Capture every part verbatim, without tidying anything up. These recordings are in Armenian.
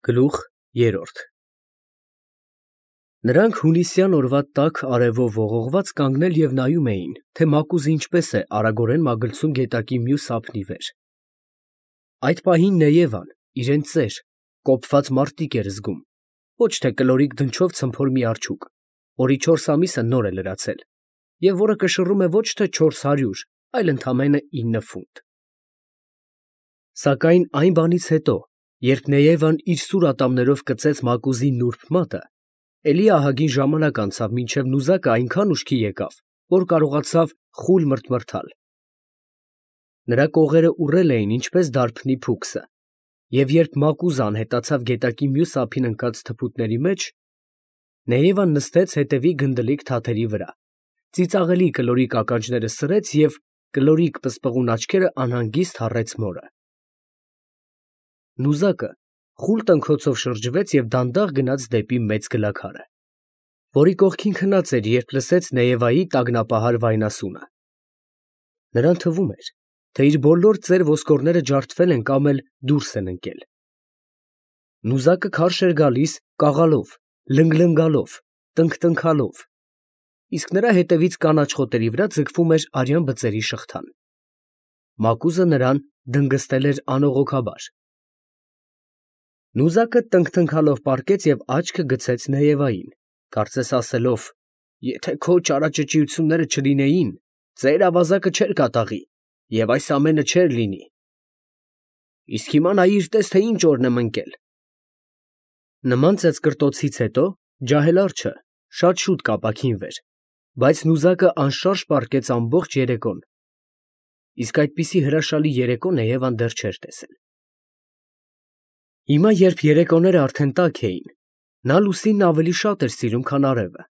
Գլուխ երրորդ Նրանք հունիսյան օրվա տաք արևով ողողված կանգնել և նայում էին, թե մակուզը ինչպես է արագորեն մագլցում գետակի մյուս ափի վեր։ Այդ պահին Նեևան իրան ծեր, կոփված մարտիկ էր զգում, ոչ թե կլորիկ դնչով ցմփոր մի արջուկ, որի չորս ամիսը նոր է լրացել, և որը կշռում է ոչ թե չորս հարյուր, այլ ընդամենը ինը ֆունտ։ Սակայն այն բանից հետո, երբ Նեևան իր սուր ատամներով կծեց մակուզի նուրբ մատը, էլի ահագին ժամանակ անցավ, մինչև նուզակը այնքան ուշքի եկավ, որ կարողացավ խուլ մրթմրթալ։ Նրա կողերը ուռել էին ինչպես դարբնի փուքսը, և երբ մակուզը անհետացավ գետակի մյուս ափին ընկած թփուտների մեջ, Նեևան նստեց հետևի գնդլիկ թաթերի վրա, ծիծաղելի կլորիկ ականջները սրեց և կլորիկ պսպղուն աչքերը անհանգիստ հառեց մորը։ Նուզակը խուլ տնքոցով շրջվեց և դանդաղ գնաց դեպի մեծ գլաքարը, որի կողքին քնած էր, երբ լսեց Նեևայի տագնապահար վայնասունը։ Նրան թվում էր, թե իր բոլոր ծեր ոսկորները ջարդվել են կամ էլ դուրս են ընկել։ Նուզակը քարշ էր գալիս կաղալով, լնգլնգալով, տնքտնքալով, իսկ նրա հետևից կանաչ խոտերի վրա ձգվում էր արյան բծերի շղթան։ Մակուզը նրան դնգստել էր անողոքաբար։ Նուզակը տնքտնքալով պառկեց և աչքը գցեց Նեևային, կարծես ասելով. «Եթե քո ճարաճճիությունները չլինեին, ծեր ավազակը չէր կատաղի, և այս ամենը չէր լինի։ Իսկ հիմա նայիր, տես, թե ինչ օրն եմ ընկել»։ Նման ծեծկռտոցից հետո ջահել արջը շատ շուտ կապաքինվեր, բայց նուզակը անշարժ պառկեց ամբողջ երեկոն, իսկ այդպիսի հրաշալի երեկո Նեևան դեռ չէր տեսել։ Հիմա, երբ երեկոները արդեն տաք էին, նա լուսինն ավելի շատ էր սիրում, քան արևը,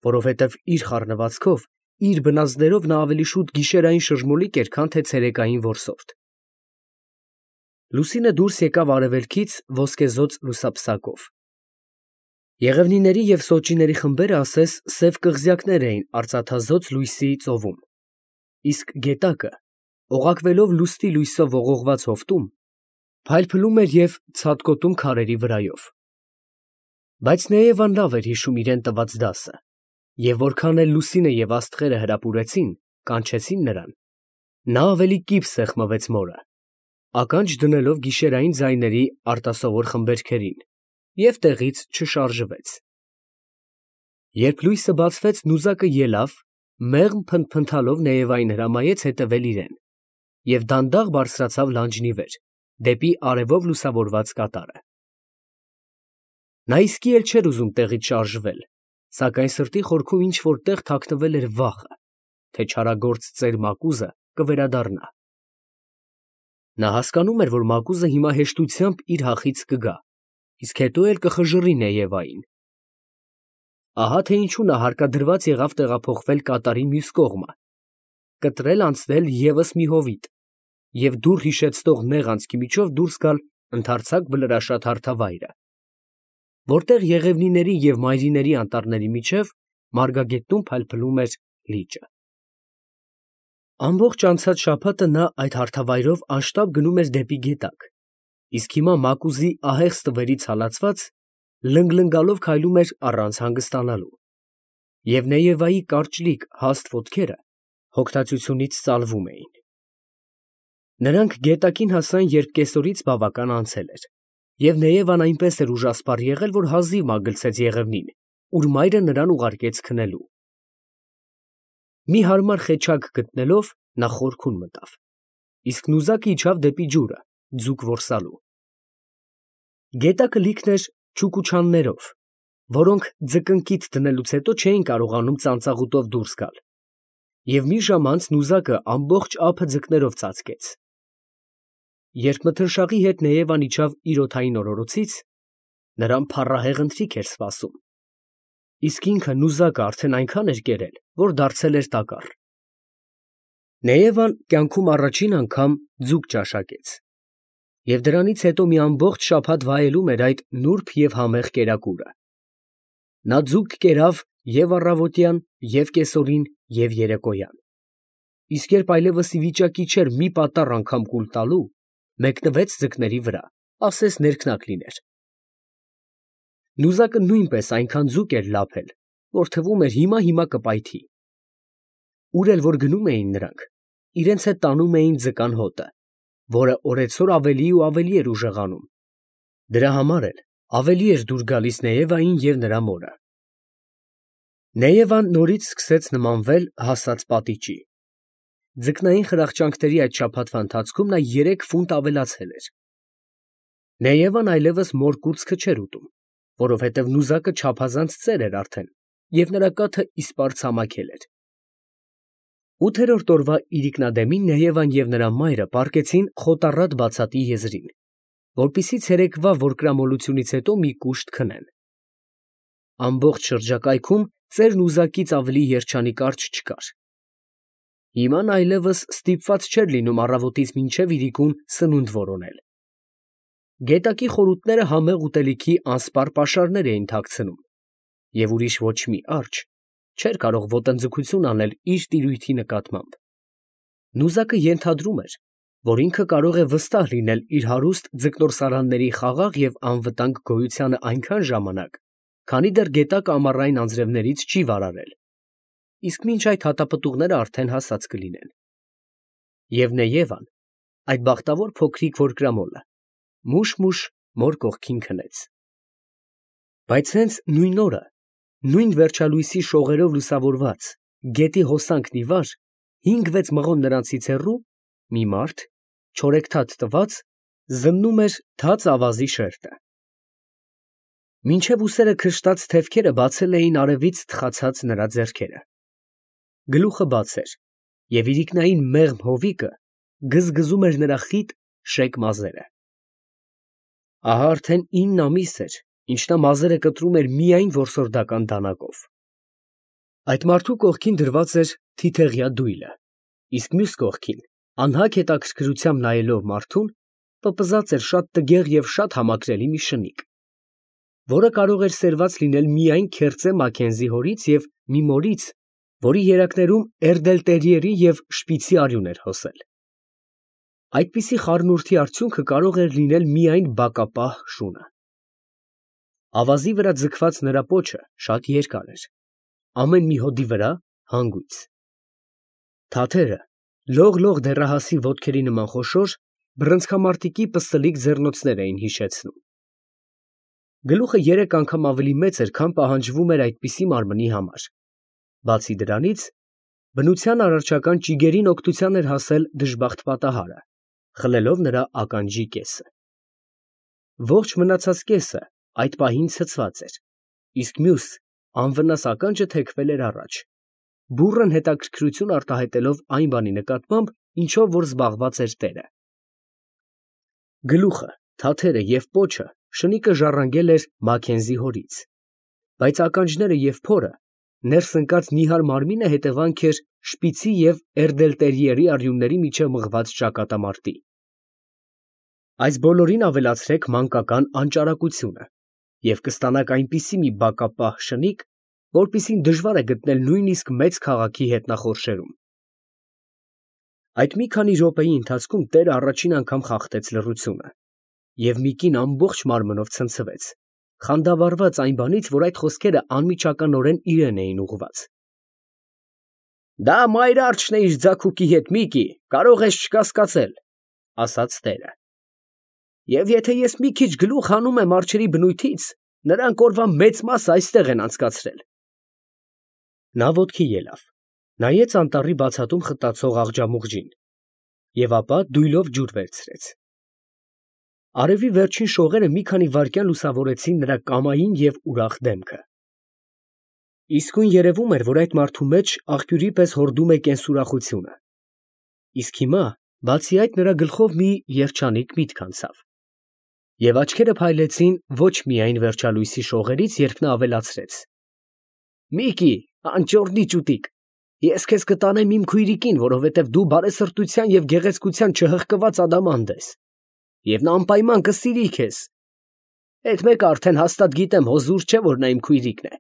որովհետև իր խառնվածքով, իր բնազդերով նա ավելի շուտ գիշերային շշմոլիկ էր, քան թե ցերեկային որսորդ։ Լուսինը դուրս եկավ արևելքից ոսկեզօծ լուսափսակով։ Եղևնիների և սոճիների խմբերը ասես սև կղզյակներ էին արծաթազօծ լույսի ծովում, իսկ գետակը, օղակվելով լուսնի լույսով ողողված հովտում, փայլփլում էր և ցատկոտում քարերի վրայով։ Բայց Նեևան լավ էր հիշում իրան տված դասը, և որքան էլ լուսինը և աստղերը հրապուրեցին, կանչեցին նրան, նա ավելի կիպ սեղմվեց մորը, ականջ դնելով գիշերային ձայների արտասովոր խմբերգերին, և տեղից չշարժվեց։ Երբ լույսը բացվեց, նուզակը ելավ, մեղմ փնթփնթալով Նեևային հրամայեց հետևել իրան և դանդաղ բարձրացավ լանջնի վեր, դեպի արևով լուսավորված կատարը։ Նա իսկի էլ չէր ուզում տեղից շարժվել, սակայն սրտի խորքում ինչ֊որ տեղ թաքնվել էր վախը, թե չարագործ ծեր մակուզը կվերադառնա։ Նա հասկանում էր, որ մակուզը հիմա հեշտությամբ իր հախից կգա, իսկ հետո էլ կխժռի Նեևային։ Ահա թե ինչու նա հարկադրված եղավ տեղափոխվել կատարի մյուս կողմը, կտրել անցնել ևս մի հովիտ և դուռ հիշեցնող նեղ անցքի միջով դուրս գալ ընդարձակ բլրաշատ հարթավայրը, որտեղ եղևնիների և մայրիների անտառների միջև մարգագետնում փայլփլում էր լիճը։ Ամբողջ անցած շաբաթը նա այդ հարթավայրով անշտապ գնում էր դեպի գետակ, իսկ հիմա մակուզի ահեղ ստվերից հալածված, լնգլնգալով քայլում էր առանց հանգստանալու, և Նեևայի կարճլիկ հաստ ոտքերը հոգնածությունից ծալվում էին։ Նրանք գետակին հասան, երբ կեսօրից բավական անցել էր, և Նեևան այնպես էր ուժասպառ եղել, որ հազիվ մագլցեց եղևնին, ուր մայրը նրան ուղարկեց քնելու։ Մի հարմար խեչակ գտնելով, նա խորքում մտավ, իսկ նուզակը իջավ դեպի ջուրը, ձուկ որսալու։ Գետակը լիքն էր չուկուչաններով, որոնք ձկնկիթ դնելուց հետո չէին կարողանում ծանծաղուտով դուրս գալ, և մի ժամ անց նուզակը ամբողջ ափը ձկներով ծածկեց։ Երբ մթնշաղի հետ Նեևան իջավ իր օդային օրորոցից, նրան փառահեղ ընթրիք էր սպասում, իսկ ինքը նուզակը արդեն այնքան էր կերել, որ դարձել էր տակառ։ Նեևան կյանքում առաջին անգամ ձուկ ճաշակեց, և դրանից հետո մի ամբողջ շաբաթ վայելում էր այդ նուրբ և համեղ կերակուրը։ Նա ձուկ կերավ և առավոտյան, և կեսօրին, և երեկոյան, իսկ երբ այլևս ի վիճակի չէր մի պատառ անգամ կուլ տալու, մեկնվեց ձկների վրա, ասես ներքնակ լիներ, Նուզակը նույնպես այնքան ձուկ էր լափել, որ թվում էր հիմա-հիմա կպայթի։ Ուր էլ որ գնում էին նրանք, իրենց հետ տանում էին ձկան հոտը, որը օրեցօր ավելի ու ավելի էր ուժեղանում։ Դրա համար էլ ավելի էր դուր գալիս Նեևային և նրա մորը։ Նեևան նորից սկսեց նմանվել հասած պատիճի։ Ձկնային խրախճանքների այդ շաբաթվա ընթացքում նա երեք ֆունտ ավելացել էր։ Նեևան այլևս մոր կուրծքը չէր ուտում, որովհետև նուզակը չափազանց ծեր էր արդեն, և նրա կաթը իսպառ ցամաքել էր։ Ութերորդ օրվա իրիկնադեմին Նեևան և նրա մայրը պառկեցին խոտառատ բացատի եզրին, որպեսզի ցերեկվա որկրամոլությունից հետո մի կուշտ քնեն։ Ամբողջ շրջակայքում ծեր նուզակից ավելի երջանիկ արջ չկար։ Հիմա նա այլևս ստիպված չէր լինում առավոտից մինչև իրիկուն սնունդ որոնել։ Գետակի խորութները համեղ ուտելիքի անսպառ պաշարներ էին թաքցնում, և ուրիշ ոչ մի արջ չէր կարող ոտնձգություն անել իր տիրույթի նկատմամբ։ Նուզակը ենթադրում էր, որ ինքը կարող է վստահ լինել իր հարուստ ձկնորսարանների խաղաղ և անվտանգ գոյությանը այնքան ժամանակ, քանի դեռ գետակը ամառային անձրևներից չի վարարել, իսկ մինչ այդ հատապտուղները արդեն հասած կլինեն։ Եվ Նեևան, այդ բախտավոր փոքրիկ որկրամոլը, մուշ֊մուշ մոր կողքին քնեց։ Բայց հենց նույն օրը, նույն վերջալույսի շողերով լուսավորված գետի հոսանքն ի վար, հինգ֊վեց մղոն նրանցից հեռու, մի մարդ, չորեքթաթ տված, զննում էր թաց ավազի շերտը։ Մինչև ուսերը քշտած թևքերը բացել էին արևից թխացած նրա ձեռքերը։ Գլուխը բաց էր, և իրիկնային մեղմ հովիկը գզգզում էր նրա խիտ շեկ մազերը։ Ահա արդեն ինն ամիս էր, ինչ նա մազերը կտրում էր միայն որսորդական դանակով։ Այդ մարդու կողքին դրված էր թիթեղյա դույլը, իսկ մյուս կողքին, անհագ հետաքրքրությամբ նայելով մարդուն, պպզած էր շատ տգեղ և շատ համակրելի մի շնիկ, որը կարող էր սերված լինել միայն քերծե Մաքենզի հորից և մի մորից, որի երակներում էրդելտերիերի և շպիցի արյուն էր հոսել։ Այդպիսի խառնուրդի արդյունքը կարող էր լինել միայն բակապահ շունը։ Ավազի վրա ձգված նրա պոչը շատ երկար էր, ամեն մի հոդի վրա հանգույց։ Թաթերը լող֊լող դեռահասի ոտքերի նման խոշոր, բռնցքամարտիկի պստլիկ ձեռնոցներ էին հիշեցնում։ Գլուխը երեք անգամ ավելի մեծ էր, քան պահանջվում էր այդպիսի մարմնի համար։ Բացի դրանից, բնության արարչական ճիգերին օգնության էր հասել դժբախտ պատահարը, խլելով նրա ականջի կեսը։ Ողջ մնացած կեսը այդ պահին ցցված էր, իսկ մյուս անվնաս ականջը թեքվել էր առաջ, բուռն հետաքրքրություն արտահայտելով այն բանի նկատմամբ, ինչով որ զբաղված էր տերը։ Գլուխը, թաթերը և պոչը շնիկը ժառանգել էր Մաքենզի հորից, բայց ականջները և փորը, ներս ընկած նիհար մարմինը հետևանք էր շպիցի և էրդելտերիերի արյունների միջև մղված ճակատամարտի։ Այս բոլորին ավելացրեք մանկական անճարակությունը, և կստանաք այնպիսի մի բակապահ շնիկ, որպիսին դժվար է գտնել նույնիսկ մեծ քաղաքի հետնախորշերում։ Այդ մի քանի րոպեի ընթացքում տերը առաջին անգամ խախտեց լռությունը, և մի կին ամբողջ մարմնով ցնցվեց, խանդավառված այն բանից, որ այդ խոսքերը անմիջականորեն իրան էին ուղղված։ «Դա մայր արջն է իր ձագուկի հետ, Միկի, կարող ես չկասկածել», ֊ ասաց տերը։ «Եվ եթե ես մի քիչ գլուխ հանում եմ արջերի բնույթից, նրանք օրվա մեծ մասը այստեղ են անցկացրել»։ Նա ոտքի ելավ, նայեց անտառի բացատում խտացող աղջամուղջին և ապա դույլով ջուր վերցրեց։ Արևի վերջին շողերը մի քանի վայրկյան լուսավորեցին նրա կամային և ուրախ դեմքը։ Իսկույն երևում էր, որ այդ մարդու մեջ աղբյուրի պես հորդում է կենսուրախությունը, իսկ հիմա, բացի այդ, նրա գլխով մի երջանիկ միտք անցավ, և աչքերը փայլեցին ոչ միայն վերջալույսի շողերից, երբ նա ավելացրեց. «Միկի, անճոռնի ճուտիկ, ես քեզ կտանեմ իմ քույրիկին, որովհետև դու բարեսրտության և գեղեցկության չհղկված ադամանդ ես, և նա անպայման կսիրի քեզ։ Էդ մեկը արդեն հաստատ գիտեմ, հո զուր չէ, որ նա իմ քույրիկն է։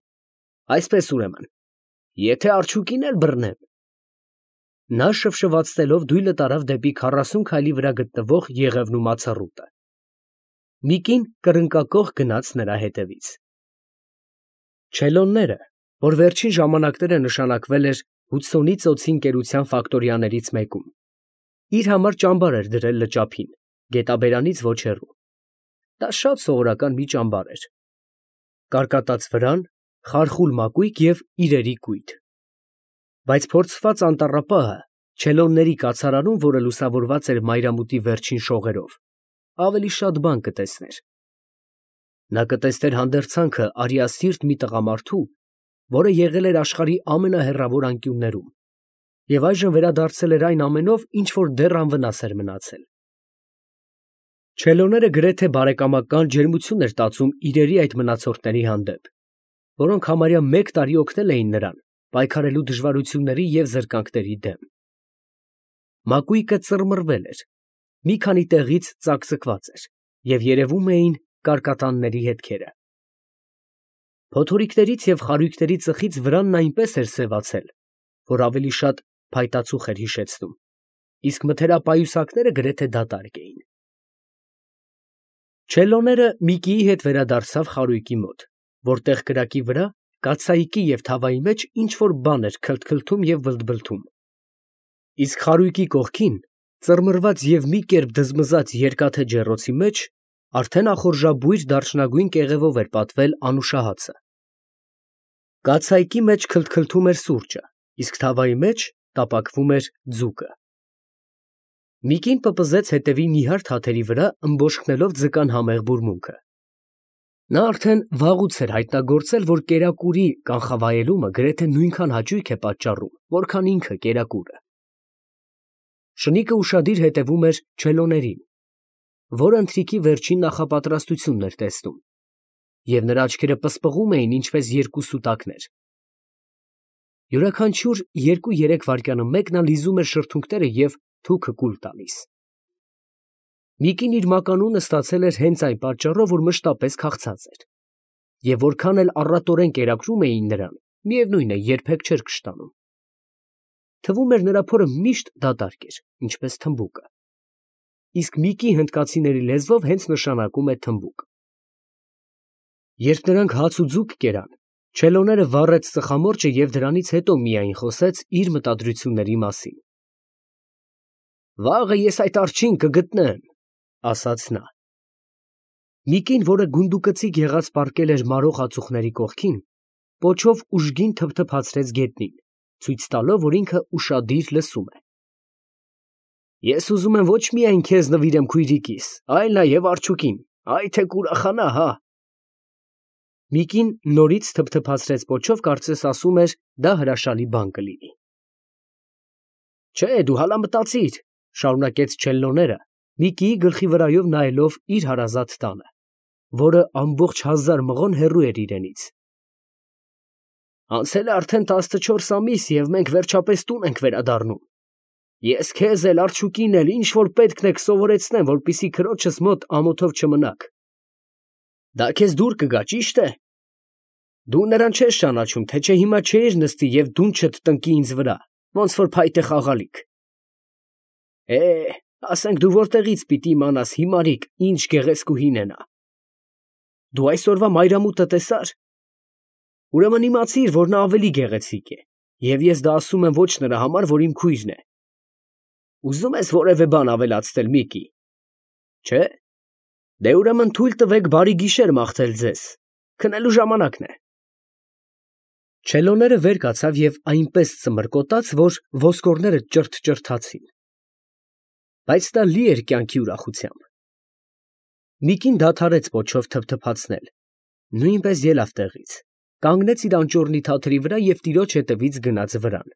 Այսպես ուրեմն, եթե արջուկին էլ բռնեմ…» Նա շվշվացնելով դույլը տարավ դեպի քառասուն քայլի վրա գտնվող Եղևնու մացառուտը։ մի կին կռնկակոխ գնաց նրա հետևից։ Չելոնները, որ վերջին ժամանակները նշանակվել էր Հուդսոնի ծոցի ընկերության ֆակտորիաներից մեկում, իր համար ճամբար էր դրել լճափին, գետաբերանից ոչ հեռու. դա շատ սովորական մի ճամբար էր. կարկատած վրան, խարխուլ մակույկ և իրերի կույտ. բայց փորձված անտառապահը չելոնների կացարանում, որը լուսավորված էր մայրամուտի վերջին շողերով, ավելի շատ բան կտեսներ. նա կտեսներ հանդերձանքը արիասիրտ մի տղամարդու, որը եղել էր աշխարհի ամենահեռավոր անկյուններում և այժմ վերադարձել էր այն ամենով, ինչ որ դեռ անվնաս էր մնացել. Չելոները գրեթե բարեկամական ջերմություն էր տածում իրերի այդ մնացորդների հանդեպ, որոնք համարյա մեկ տարի օգնել էին նրան պայքարելու դժվարությունների և զրկանքների դեմ. Մակույկը ծռմռվել էր, մի քանի տեղից ծակծկված էր և երևում էին կարկատանների հետքերը. փոթորիկներից և խարույկների ծխից վրանն այնպես էր սևացել, որ ավելի շատ փայտածուխ էր հիշեցնում, իսկ մթերապայուսակները գրեթե դատարկ էին։ Չելոները Միկիի հետ վերադարձավ խարույկի մոտ, որտեղ կրակի վրա, կաթսայիկի և թավայի մեջ ինչ֊որ բան էր քլթքլթում և բլթբլթում, իսկ խարույկի կողքին, ծռմռված և մի կերպ դզմզած երկաթե ջեռոցի մեջ, արդեն ախորժաբույր դարչնագույն կեղևով էր պատվել անուշահացը։ Կաթսայիկի մեջ քլթքլթում էր սուրճը, իսկ թավայի մեջ տապակվում էր ձուկը։ Միկին պպզեց հետևի նիհար թաթերի վրա, ըմբոշխնելով ձկան համեղ բուրմունքը։ Նա արդեն վաղուց էր հայտնագործել, որ կերակուրի կանխավայելումը գրեթե նույնքան հաճույք է պատճառում, որքան ինքը կերակուրը։ Շնիկը ուշադիր հետևում էր չելոներին, որը ընթրիքի վերջին նախապատրաստությունն էր տեսնում, և նրա աչքերը պսպղում էին ինչպես երկու սուտակներ։ Յուրաքանչյուր երկու֊երեք վայրկյանը մեկ նա լիզում էր շրթունքները և թուքը կուլ տալիս։ Միկին իր մականունը ստացել էր հենց այն պատճառով, որ մշտապես քաղցած էր, և որքան էլ առատորեն կերակրում էին նրան, միևնույն է, երբեք չէր կշտանում։ Թվում էր նրա փորը միշտ դատարկ էր, ինչպես թմբուկը։ Իսկ Միկի հնդկացիների լեզվով հենց նշանակում է թմբուկ։ Երբ նրանք հաց ու ձուկ կերան, չելոները վառեց ծխամորճը և դրանից հետո միայն խոսեց իր մտադրությունների մասին։ «Վաղը ես այդ արջին կգտնեմ», ասաց նա։ Միկին, որը գունդուկծիկ եղած պառկել էր մարող ածուխների կողքին, պոչով ուժգին թփթփացրեց գետնին, ցույց տալով, որ ինքը ուշադիր լսում է։ «Ես ուզում եմ ոչ միայն քեզ նվիրեմ քույրիկիս, այլ նաև արջուկին, այ թե կուրախանա, հա»։ Միկին նորից թփթփացրեց պոչով, կարծես ասում էր, դա հրաշալի բան կլինի։ «Չէ, դու հալա մտածիր», շարունակեց Չելլոները, Միկիի գլխի վրայով նայելով իր հարազատ տանը, որը ամբողջ հազար մղոն հեռու էր իրենից։ «Անցել է արդեն տասնչորս ամիս, և մենք վերջապես տուն ենք վերադառնում։ Ես քեզ էլ, արջուկին էլ ինչ որ պետքն է կսովորեցնեմ, որպեսզի քրոջս մոտ ամոթով չմնաք։ Դա քեզ դուր կգա, ճի՞շտ է։ Դու նրան չես ճանաչում, թե չէ հիմա չէիր նստի և դունչդ տնկի ինձ վրա, ոնց որ փայտե խաղալիք։ Է, ասենք դու որտեղից պիտի իմանաս, հիմարիկ, ինչ գեղեցկուհին է նա։ Դու այսօրվա մայրամուտը տեսա՞ր։ Ուրեմն իմացիր, որ նա ավելի գեղեցիկ է, և ես դա ասում եմ ոչ նրա համար, որ իմ քույրն է։ Ուզում ես որևէ բան ավելացնել, Միկի։ Չէ՞։ Դե ուրեմն թույլ տվեք բարի գիշեր մաղթել ձեզ, քնելու ժամանակն է։ Չելոները վեր կացավ և այնպես ծմրկոտաց, որ ոսկորները ճրթճրթացին։ Բայց դա լի էր կյանքի ուրախությամբ։ Միկին դադարեց պոչով թփթփացնել, նույնպես ելավ տեղից, կանգնեց իր անճոռնի թաթերի վրա և տիրոջ հետևից գնաց վրան։